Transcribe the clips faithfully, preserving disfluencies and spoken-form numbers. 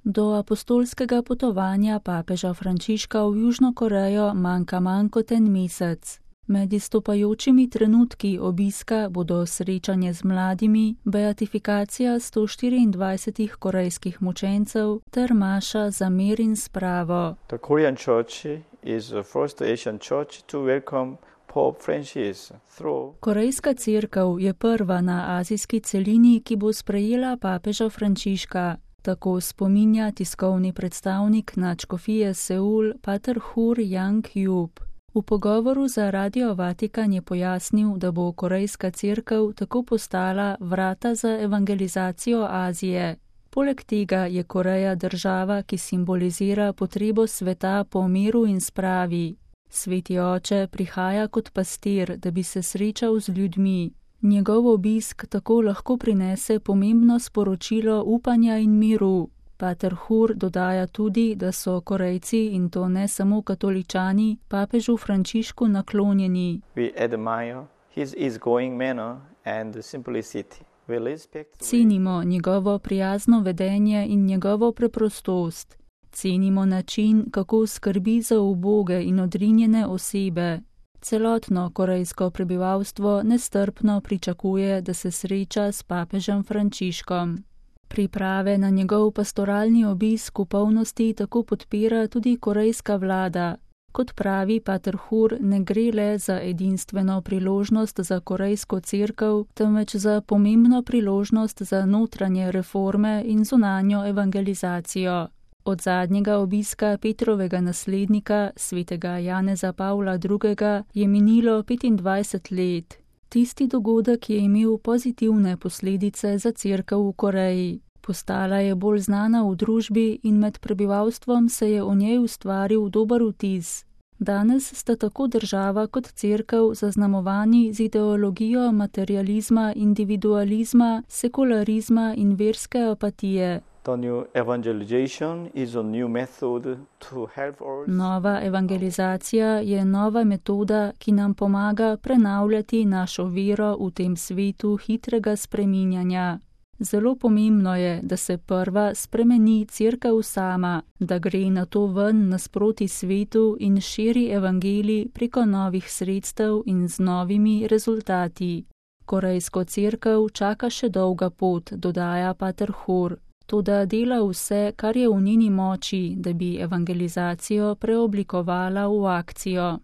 Do apostolskega potovanja papeža Frančiška v Južno Korejo manjka manj kot en mesec. Med izstopajočimi trenutki obiska bodo srečanje z mladimi, beatifikacija sto štiriindvajsetih korejskih mučencev ter maša za mir in spravo. The Korean Church is the first Asian church to welcome Pope Francis through. Korejska cerkev je prva na azijski celini, ki bo sprejela papeža Frančiška. Tako spominja tiskovni predstavnik nadškofije Seul, pater Hur Yang-Jup. V pogovoru za Radio Vatikan je pojasnil, da bo korejska cerkev tako postala vrata za evangelizacijo Azije. Poleg tega je Koreja država, ki simbolizira potrebo sveta po miru in spravi. Sveti oče prihaja kot pastir, da bi se srečal z ljudmi. Njegov obisk tako lahko prinese pomembno sporočilo upanja in miru. Pater Hur dodaja tudi, da so Korejci, in to ne samo katoličani, papežu Frančišku naklonjeni. We admire his easygoing manner and simplicity. We respect. Cenimo njegovo prijazno vedenje in njegovo preprostost. Cenimo način, kako skrbi za uboge in odrinjene osebe. Celotno korejsko prebivalstvo nestrpno pričakuje, da se sreča s papežem Frančiškom. Priprave na njegov pastoralni obisk v polnosti tako podpira tudi korejska vlada. Kot pravi pater Hur, ne gre le za edinstveno priložnost za korejsko cerkev, temveč za pomembno priložnost za notranje reforme in zunanjo evangelizacijo. Od zadnjega obiska Petrovega naslednika, svetega Janeza Pavla drugega, je minilo petindvajset let. Tisti dogodek je imel pozitivne posledice za cerkev v Koreji. Postala je bolj znana v družbi in med prebivalstvom se je o njej ustvaril dober vtis. Danes sta tako država kot cerkev zaznamovani z ideologijo materializma, individualizma, sekularizma in verske apatije. The new evangelization is a new method to help us. Nova evangelizacija je nova metoda, ki nam pomaga prenavljati našo vero v tem svetu hitrega spreminjanja. Zelo pomembno je, da se prva spremeni cerkev sama, da gre na to ven nasproti svetu in širi evangelij preko novih sredstev in z novimi rezultati. Korejsko cerkev čaka še dolga pot, dodaja pater Hur. Toda dela vse, kar je v njeni moči, da bi evangelizacijo preoblikovala v akcijo.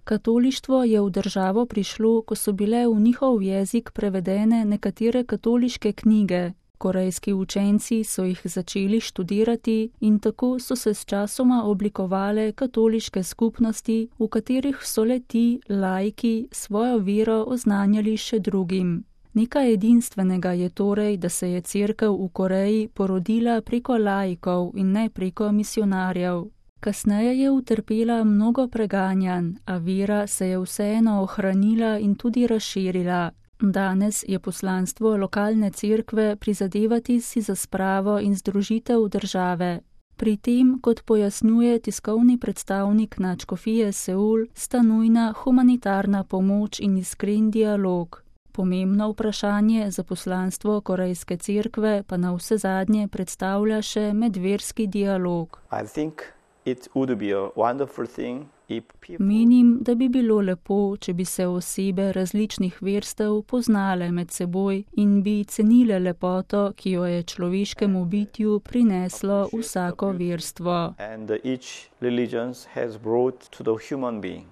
Katolištvo je v državo prišlo, ko so bile v njihov jezik prevedene nekatere katoliške knjige. Korejski učenci so jih začeli študirati in tako so se sčasoma oblikovale katoliške skupnosti, v katerih so le ti, laiki, svojo vero oznanjali še drugim. Nekaj edinstvenega je torej, da se je cerkev v Koreji porodila preko laikov in ne preko misionarjev. Kasneje je utrpela mnogo preganjanj, a vera se je vseeno ohranila in tudi razširila. Danes je poslanstvo lokalne cerkve prizadevati si za spravo in združitev države. Pri tem, kot pojasnjuje tiskovni predstavnik nadškofije Seul, sta nujna humanitarna pomoč in iskren dialog. Pomembno vprašanje za poslanstvo korejske cerkve pa na vse zadnje predstavlja še medverski dialog. I think it would be a wonderful thing if people... Menim, da bi bilo lepo, če bi se osebe različnih verstev poznale med seboj in bi cenile lepoto, ki jo je človeškemu bitju prineslo vsako verstvo. And each religion has brought to the human being.